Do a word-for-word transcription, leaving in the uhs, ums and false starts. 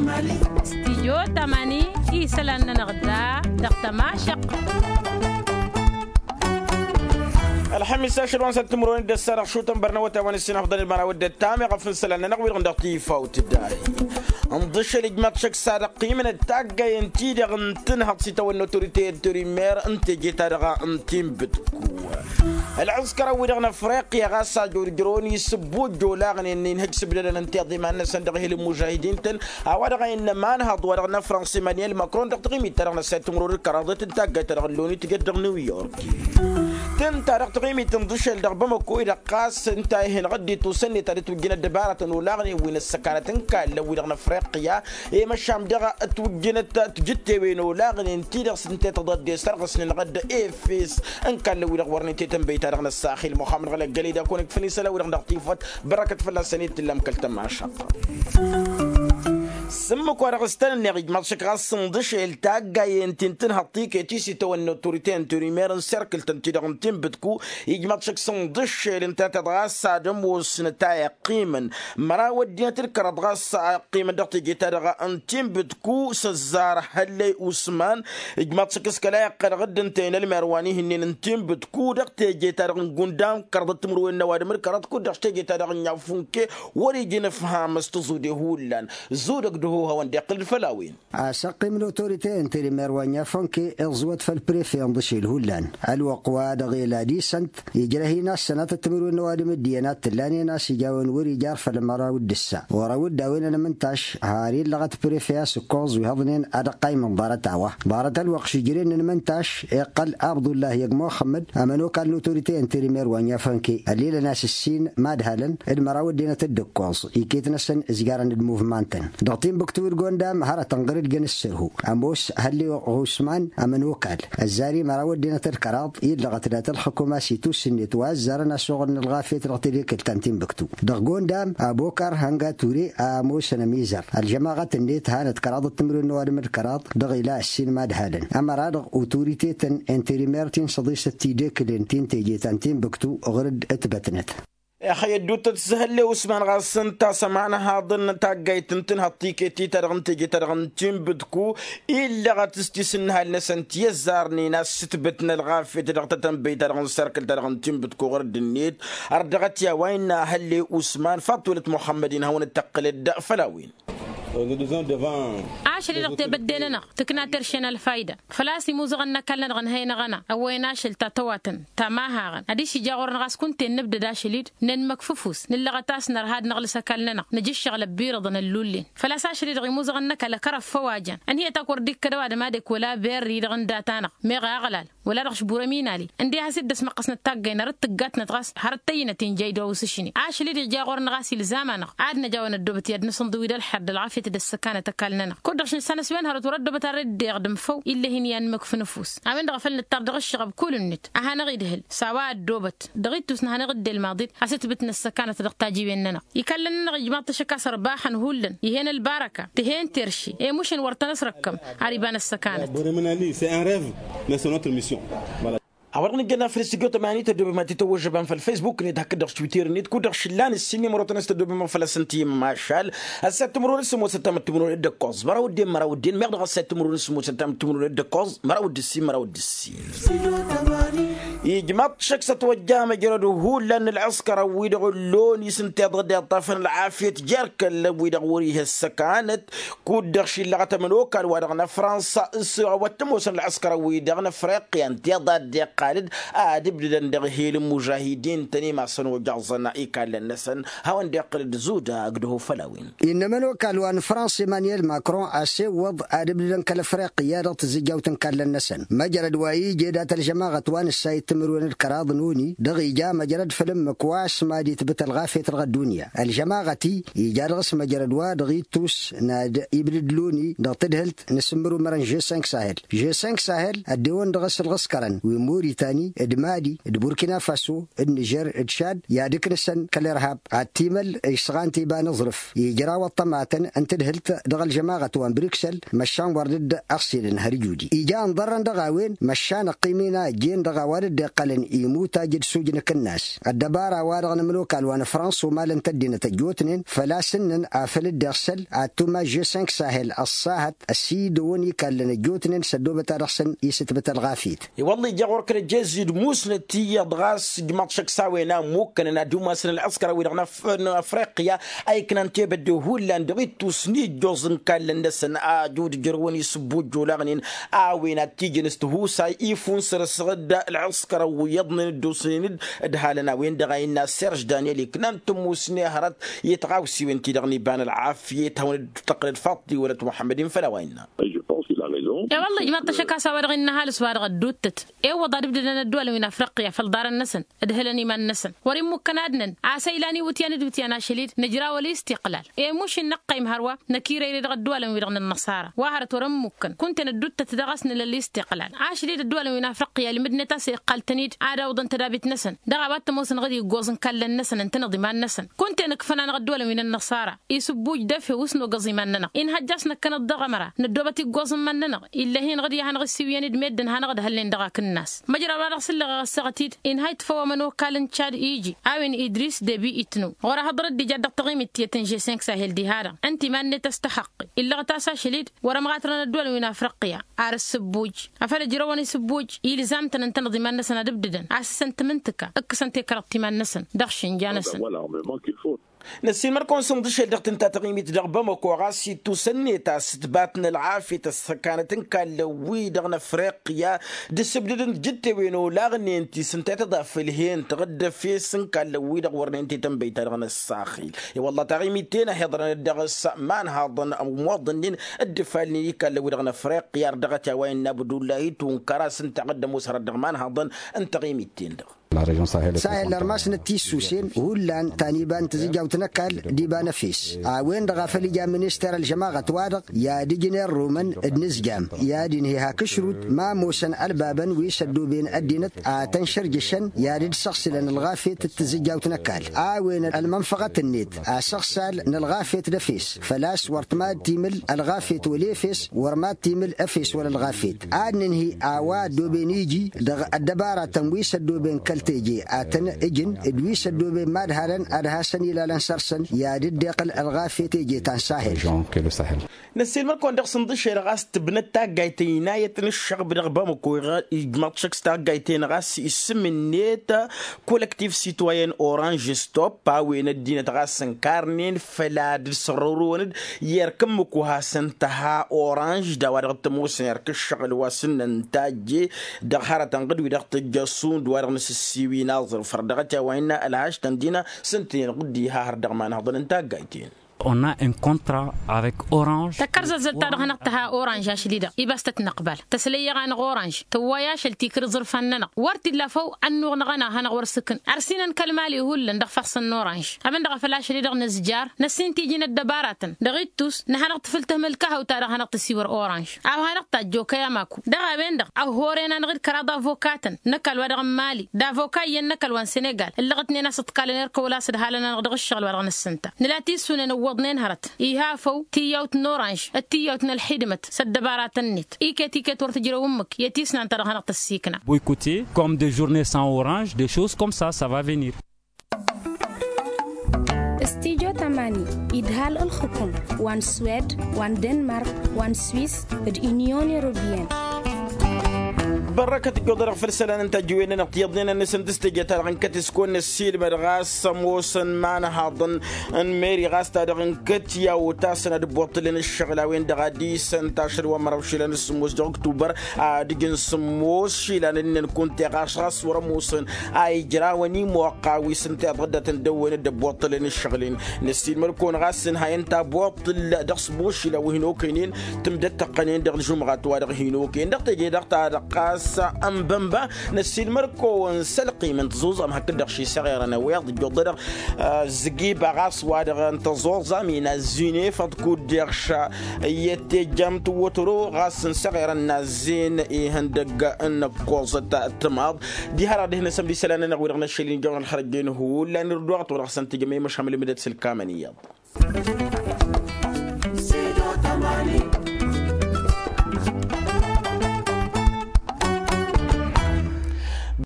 Stijyo tamani isălan-nănăɣ da dăɣ-tămašăq. Ălxămis ašăl wa n-săt timǝrwen d-ăssa dăɣ-šutăn bărnăwăt a-wen ǝssin afḍăn d-măraw d-ăttam iɣăf n-isălan-nănăɣ wi-dăɣ n-dăɣ-tifawt. Dd-ahi ǝnḍǝššăl ijmaḍ šăkk s-ad-ăqqimnăt taggayăn-ti-dăɣ n-tǝnhăḍ s-itawănna otorite n-terimer n-teje-ta-dăɣ n-tinbǝtku. Ălɣǝskărăn-wi-dăɣ n-afriqya ɣas a jurjărăn isǝbbu ăjjoolaɣnen n-inhăj s-ǝbdădăn ǝnta iḍeman-năsăn dăɣ-ehel n-imužahidin-tăn a-wa dăɣ-a innă imanhăḍ wa dăɣ-năfrăns emăniyel makron dăɣ-taɣimit-ta-dăɣ n-ăssayăt timǝrwen d-kăraḍet n-taggayt-ta-dăɣ n-loni tǝjăt dăɣ-niw york. Tǝnta dăɣ-taɣimit n-iḍǝšel dăɣ-bamăko-i-dăɣ ɣas ǝnta a ihenăɣ-dd i-tusănnet ad-ǝtwǝjjǝn ăddăbaratăn olaɣnen wi n-ăssăkanăt n-kallăn-wi-dăɣ n-afriqya. I-măšan daɣ ǝtwǝjjǝnăt tǝjǝttewen olaɣnen-ti-dăɣ s-ǝnta i-tăḍădde s-ărɣǝsnen ɣǝdd efes n-kallăn-wi-dăɣ wărnen tetănbăy-ta-dăɣ n-ăssaxil muxammăd ɣălăggălăy d-akăwăn-ikfăn isălan-wi-dăɣ dăɣ-tifăt. Bărăkăt fălla-săn i-tǝllam kăl-tămašăɣt. S-ǝmmǝk-wa-dăɣ s-tăn-ǝnneɣ ijmaḍ šăkk ɣas sǝnḍǝšel taggayen ti n-tǝnhăḍ tiket-i s-itawănna otorite n-terimer n-serkǝl-tăn-ti-dăɣ n-tinbǝtku. Ijmaḍ šăkk sănḍǝššel ǝnta tiḍɣa s-ad-ămoosnăt a iqqimăn măraw ăddinăt d-kăraḍ ɣas a iqqimăn dăɣ-teje-ta-dăɣ n-tinbǝtku s-ăzzar hăllăy usman. Ijmaḍ šăkk s-kăla iqqălăɣ-dd ǝnta-en ălmer wa n-ihǝnnen n-tinbǝtku dăɣ-teje-ta-dăɣ n-gundam kăraḍăt timǝrwen n-ăwadǝm d-kăraḍ kud-dăɣ s-teje-ta-dăɣ n-yafunke. Wăr-ija inǝfham s-tǝẓude hullan. Zudăg d-ăhohawăn d-iqqǝl-dd făll-a-wen. A-s ăqqim n-otorite n-terimer wa n-yafonke iẓwăt făll-prefe ǝnḍǝšel hullan ălwăqq-wa-dăɣ ela disănt. Ijrăh-in a-s sănatăt timǝrwen n-ăwadǝm d-iyyăn ad-t-ǝllanen a-s ija a-wen wăr-ija arfăl măraw d-ǝssa wăr-awǝdda a-wen ănmǝntaš. Har illăɣăt prefe a-s ǝkkoẓ wi hăḍnen ad-ăqqaymǝn ḍarăt-a-wa ḍarăt ălwăqq šǝjren n-ǝnmǝntaš. Iqqăl abdullahi ăgg muxămmăd ămănokal n-otorite n-terimer wa n-yafonke ăllilăn a-s ǝssin madhalăn d-măraw ăddinăt d-ǝkkoẓ iket-năsăn ǝzjarăn d-muvman-tăn dăɣ-tinbǝktu d-gondam hărătăn ɣur-dd jăn ǝssărhu. Ămoos hălli usman ămănokal ăzzar-i măraw ăddinăt d-kăraḍ illăɣăt dat-ălxǝkum a-s itusǝnnet wa ăzzarăn asuɣǝl n-ălɣafyăt dăɣ-tedekǝlt ta n-tinbǝktu. Dăɣ-gondam abokar hănga ture a ămoosăn ămizăr ălžămaɣăt-net hanăt kăraḍăt timǝrwen n-ăwadǝm d-kăraḍ dăɣ-ila ǝssin madhalăn ămăra-dăɣ otoritetăn n-terimer ti n-săḍisăt tidekǝlen ti n-teje ta n-tinbǝktu ɣur-dd ǝtbătnăt. Ixăyy ădduuttăt s-hălle usman ɣas ǝnta a-s ămanhaḍăn taggayt n-tǝnhăḍ tiket-i-ta-dăɣ n-teje-ta-dăɣ n-tinbǝtku illăɣăt s-tisǝnnǝhal-năsăn ti ăzzarnen a-s ǝtbǝtnăt ălɣafyăt dăɣ-tetănbăy-ta-dăɣ n-serkǝl-ta-dăɣ n-tinbǝtku ɣur-dd-net. Ărdăɣăt i-a-wa innă hălle usman faḍt-welăt muxămmăd-in hawăn-dd-tăqqǝlăd făll-a-wen. Ašăl-i-dăɣ tebădde-nănăɣ tǝkna terše n-ălfayda. Făl-a-s imuzăɣăn n-ăkall-nănăɣ ǝnhăynăɣ-anăɣ ăwwăyăn ašăl ta tăwatăn ta mahăɣăn ad-išija ɣur-năɣ a-s kunta-en nǝbdăd ašăl-i-dd nănmăkf ǝfus nǝllăɣăt a-s nărha ad-năɣlǝs ăkall-nănăɣ nǝja ǝššăɣǝl ăbbirǝḍăn ăllullen. Făl-a-s ašăl-i-dăɣ imuzăɣăn n-ăkall ăkărăf făw a jăn ănhǝyăt a-k wăr dd-ikkăd ăwadǝm ad-ăkk wăla berri-dăɣ n-data-năɣ meɣ aɣlal wăla dăɣ-ašbur ăminali. Ǝnde a has-dd-ăsmăqqăsnăt taggay n-arăt tǝggatnăt ɣas hărăt tăyyinăt injăy d-osǝšni ašăl-i-dăɣ ija ɣur-năɣ a-s ilzam-anăɣ ad-năj a-wen ăddoobăt i-ad-nǝsǝnḍǝw-dd ălxer d-ălɣafyăt d-ăssăkanăt ăkall-nănăɣ. Kud-dăɣ šinsa n-aswen hărăt wăr-ăddoobăt arrăy dd-iɣdǝm făw ill'-e-hin i-ad-nǝmǝkf nǝfus. A-wen-dăɣ a făl nǝttar dăɣ-ǝššăɣăb kull-net a hanăɣ-idhǝl s-a-wa ăddoobăt dăɣ-ittus n-hanăɣ-dd-elmaḍit a-s ǝtbǝtnăt ăssăkanăt dăɣ-tajiwen-nănăɣ. Ikallăn-nănăɣ ijmaḍ-t ašăk a-s ărbaxăn hullan ih'-en ălbarăka tǝhen terše i-mušăn wăr tăn-ăsrăkkăm. Ar iba n-ăssăkanăt. A-wa-dăɣ nǝjjănna făll-studyo tămani tăddobem ad-tităwwăžžăbăm făll-facebook-net hakd-dăɣ s-twitter-net kud-dăɣ šǝllan ǝssin n-imărotăn a-s tăddobem făll-asăn tiyǝm mašal. Ăssayăt timǝrwen s-ămoosăn tamǝttimǝrwen d-ǝkkoẓ măraw ăddin măraw ăddin meɣ dăɣ-ăssayăt timǝrwen s-ămoosăn tamǝttimǝrwen d-ǝkkoẓ măraw d-ǝssin măraw d-ǝssin. Ijmaḍ-t šăkk s-ătwăjja măjrăd hullan n-ălɣǝskărăn-wi-dăɣ ǝllon-i s-ǝnta iḍăḍ iṭṭafăn ălɣafyăt jer-kăllăn-wi-dăɣ wăr-ih' ăssăkanăt. Kud-dăɣ šillăɣăt ămănokal-wa-dăɣ n-afrănsa s-a-wa t-ămoosăn ălɣǝskărăn-wi-dăɣ n-afriqya ǝnta iḍa dd-iqqal-dd ad-ǝbdǝdăn dăɣ-ehel n-imužahidin-tăn i-masăn ojăẓăn ikallăn-năsăn. Hawăn-dd-iqqǝl d-zudăg d-ăho făll-a-wen. Innă ămănokal wa n-fransa emăniyel makron a-s iwwăḍ ad-ǝbdǝdăn kăl-afriqya dăɣ-tǝzǝjjawt n-kallăn-năsăn măjrăd wa ija dat-ălžămaɣăt wa n-ǝssayǝd timǝrwen d-kăraḍ n-oni dăɣ-ija măjrăd făll-ǝmmǝk wa s-mad-itbǝt ălɣafyăt dăɣ-ăddunya ălžămaɣăt-i ija dăɣ-s măjrăd wa dăɣ-ittus n-ad-ibdǝd loni dăɣ-tadhǝlt n-asǝmmăr umărăn žessenk sahel žessenk sahel ăddewăn dăɣ-s ălɣǝskărăn wi n-moritani d-mali d-burkina faso d-nižer d-šad i-ad-ǝknǝsăn kăl-irhab ad-t-imăl išsăɣan tiba n-aẓrǝf ijraw ăṭṭămatăn n-tadhǝlt dăɣ-ălžămaɣăt wa n-briksel măšan wăr dd-ăɣsilăn har ijudi ija ănḍărrăn dăɣ-a-wen măšan ăqqim-in a ăjjeen dăɣ-a-wa dd-iqqălăn imutaj d-sujnǝk-năs. Ăddăbara-wa-dăɣ n-ămănokal wa n-afrănsa umalăn-t ăddinăt ăjjootnen făl-a-s ǝnnăn afăl dd-iɣsăl ad-tuma g cinq sahel ăṣṣahăt ăsidăwăn ikallăn ăjjootnen s-ăddoobăt ad-dăɣ-săn isǝtbǝt ălɣafyăt. I-wălla ija ɣur-kăl-ăjjez d-musnăt iyyăḍ ɣas ijmaḍ šăkk s-a-wen a ǝmmukkănăn ad-umasăn ălɣǝskăr-a-wi-dăɣ n-afriqya a iknan tebădde hullan dăɣ-ittus n-ijjoẓ n-ikallăn-năsăn ajud ǝjrăwăn isǝbbujj olaɣnen a-wen ad-t-ijăn s-tihusay ifunsăr ăsɣǝd ălɣǝskăr ăwwǝyyăḍnen dd-osnen-dd ădhalăn a-wen-dăɣ a innă serž daniel iknan tămusne hărăt i-tiɣawsiwen-ti-dăɣ n-iba n-ălɣafyăt hawăn-dd-tăqqǝlăd faḍt-i wălăt muḥămmăd-in făll-a-wa innă. I-wălla ijmaḍ-t ăššăk a-s a-wa-dăɣ innă ăhalǝs-wa-dăɣ ădduuttăt i-wăḍa d-ǝbdădăn ăddualăn wi n-afriqya făll-iḍarăn-năsăn ǝdhǝlăn iman-năsăn wăr-immukăn ad-năn a-s ăylan iwǝtyan d-iwǝtyan ašăl-dd nǝjrawăl istiqlal. Emuš-in năqqăym hărwa năkirăyre dăɣ-ăddualăn-wi-dăɣ n-ănnăṣara wa hărăt wăr-ămmukkăn kunta-en ădduuttăt daɣ a-s nǝla ălistiqlal. Ašăl-dd ăddualăn wi n-afriqya ălmǝdnet a-s iqqal-tăn-dd ad-awǝḍăn tădabit-năsăn dăɣ-a-wa t-ămoosăn ɣǝd iggoẓ n-ikallăn-năsăn ǝntăneḍ iman-năsăn. Kunta-en ǝkfăn-anăɣ ăddualăn wi n-ănnăṣara isǝbbuj d-efew s-nogăẓ iman-nănăɣ inhăjja a-s năkkăneḍ dăɣ-ămăra năddoobăt iggoẓ n-iman-nănăɣ. Ill'-e-hin ɣǝd i-ad-hanăɣ-ǝssiwǝyăn d-meddǝn hanăɣ-ădhălnen dăɣ-akǝnnas. Măjrăba dăɣ-s ǝlleɣ eɣăsseɣăt-dd inha itfăw ămănokal n-cad iji a-wen idris debi itnu ɣur-ehăḍrăt d-ija dăɣ-taɣimit tiyyăt n-žessenk sahel diha-dăɣ ǝnta iman-net a-s tăhăqqe. Illăɣăt a-s ašăl-dd wăr-ămɣatrăn ăddualăn wi n-afriqya ar ǝssǝbbuj afăl ǝjrăwăn isǝbbuj ilzam-tăn ǝntăneḍ iman-năsăn ad-ǝbdǝdăn a-s s-ăntmǝntǝka ǝkkǝsăn tekăreḍt iman-năsăn dăɣ-išǝnja-năsăn. Năssiilmăr-kăwăn sǝnḍǝšel dăɣ-tǝnta taɣimit dăɣ-bamăko ɣas ittus ănneta s-ǝtbat n-ălɣafyăt ăssăkanăt n-ikallăn-wi-dăɣ n-afriqya d-asǝbdǝd n-tijǝttewen olaɣnen ti s-ǝnta i-tăḍa făll-hen-tăɣ d-efes n-ikallăn-wi-dăɣ wărnen tetănbăyt-ta-dăɣ n-ăssaxil. I-wălla taɣimit-ten a hi-iḍrănăt dăɣ-s imanhaḍăn ămmoḍănnen dd-ifalnen ikallăn-wi-dăɣ n-afriqya ar dăɣ-t i-a-wa innă abdullahi tunkăr a-s ǝnta a dd-ămoos hărăt dăɣ-imanhaḍăn n-taɣimit-ten-dăɣ. Sahel ărmasnăt tissusen hullan ta n-iba n-tizǝjjawt n-ăkall d-iba n-efes a-wen-dăɣ a făl ija minister ălžămaɣăt-wa-dăɣ i-ad-ǝjǝn irrumăn d-inǝzjam i-ad-inhi hak ǝšrut ma ămoosăn ălbabăn wi s-ăddooben ăddinăt a tăn-šărjǝšăn i-ad-dd-săɣsǝlăn ălɣafyăt d-tizǝjjawt n-ăkall. A-wen ălmănfăɣăt-net asăɣsal n-ălɣafyăt d-efes făl-a-s wăr t-mad-timǝl ălɣafyăt wăla efes wăr mad-timǝl efes wăla ălɣafyăt. Ad-nǝnhǝy a-wa ăddooben iji dăɣ-ăddăbaratăn wi s-ăddooben kăl-teje a tăn-ǝjǝn d-wi s-ăddooben mad-halăn ad-hasăn-ilalăn săr-săn i-ad-dd-iqqǝl ălɣafyăt teje ta n-sahel. Năssiilmăr-kăwăn dăɣ-sǝnḍǝšel ɣas tǝbnăt taggayt ăynayăt n-ǝššăɣb dăɣ-bamăko ijmaḍ šăkk s-taggayt-en ɣas issǝm-net. Kolăktiv sitwayen oranž stop a-wen ăddinăt ɣas ǝnkarnen făll-ad-dd-sărrăwrǝwăn-dd i-erk ǝmmǝk wa hasăn-tăha oranž d-a-wa dăɣ-t ămoosăn erk ǝššăɣǝl wa s-ǝnnăn tajje dăɣ-hărătăn ɣǝd-wi-dăɣ tǝjjăsund wa dăɣ-nǝsǝssiwin aẓrǝf har dăɣ-t i-a-wa innă ălhaš-tăn dina s-ǝntǝnen ɣǝd diha har dăɣ-imanhăḍăn n-taggayt-en. On a un contrat avec oranž. Tăkkărzăzzăl ta dăɣ-hanăɣ-tăha oranž ašli-dăɣ ibas tăt-năqbal tăslăy iɣanăɣ oranž tǝwway ašăl tikrǝẓ ǝrfan-nănăɣ wăr t-illa făw ănnuɣ năɣ-anăɣ hanăɣ-wăr s-ǝkn ărsinăn kăl-mali hullan dăɣ-ifassăn n-oranž. Abăn-dăɣ a făl ašăl-i-dăɣ nǝzjar năssin tiji n-ăddăbaratăn dăɣ-ittus n-ad-hanăɣ-tǝfǝl tǝhmǝl kahăw ta dăɣ-hanăɣ-tǝsiwăr oranž a-wa hanăɣ-tajj okăy amaku. Dăɣ-a-wen-dăɣ a horăyăn-anăɣ-dd kăraḍ avokatăn n-ăkall-wa-dăɣ n-mali d-avoka iyyăn n-ăkall wa n-senegal ǝllăɣătnen a-s ǝḍkalăn erk ăwla a-s ǝdhalăn-anăɣ dăɣ-ǝššăɣǝl-wa-dăɣ n-ǝssǝnta. Nǝla tisunen ǝwwăḍnen hărăt iha făw tiyyawt n-oranž d-tiyyawt n-ălxidmăt s-ăddăbaratăn-net iket iket wăr tǝjrăw ǝmmǝk i-tisnan ta dăɣ-hanăɣ-tăssikna. Boycotter comme des journées sans orange, des choses comme ça, ça va venir. Studyo tamani idhal ǝlxǝkum wa n-swed wa n-denmark wa n-swis d-unyon europeyenne. Bărrăkăt ǝjjuḍ-dăɣ făll-isălan n-tajǝwen-nănăɣ tiyyăḍnen-năsăn d-s teje-ta-dăɣ n-kăt-s kăwăn-năssiilmăd ɣas ămoosăn imanhaḍăn n-meri ɣas ta dăɣ-n kăt i-a otasăn ad-ǝbbuṭṭǝlăn ǝššăɣǝl a-wen-dăɣ a disăn tašăl wa n-măraw išilan d-sǝmmos dăɣ-oktubăr ad-ǝjǝn sǝmmos išilan ǝnnăn kunta i-ɣas ɣas wăr-ămoosăn a ijrawăn imoqqa wi s-ǝnta iḍăddatăn dăwwen d-ăbbuṭṭălăn ǝššăɣǝl-in. Năssiilmăd-kăwăn ɣas ǝnhayăn tabuṭṭǝl dăɣ-sǝmmos išilan wi hin-okăynen tǝmdăt tăqqănen dăɣ-alžumɣat wa dăɣ-hin-okăyăn dăɣ-teje-dăɣ ta dăɣ-ɣas ănbănba. Năssiilmăd-kăwăn s-ălqim n-tăẓuẓam hakd-dăɣ šisăɣerăn ăweḍ ǝjjuḍ-dăɣ ăzzăgiba ɣas wa dăɣ-n tăẓuẓam inazz-in efăḍ kud-deɣ ša iyyăt tejjam tǝwwătăro ɣas n-săɣerăn nazz-in ihăndăgg n-ăkkoẓăt tǝmaḍ. Diha-dăɣ dăh-năsăm d-isălan-nănăɣ wi-dăɣ n-ašăl-in jăwăn ălxărăjjen hullan irduɣăt wa dăɣ-săn tǝjăm i-măšham ǝlmǝdăt s-ǝlkamăn iyyăḍ.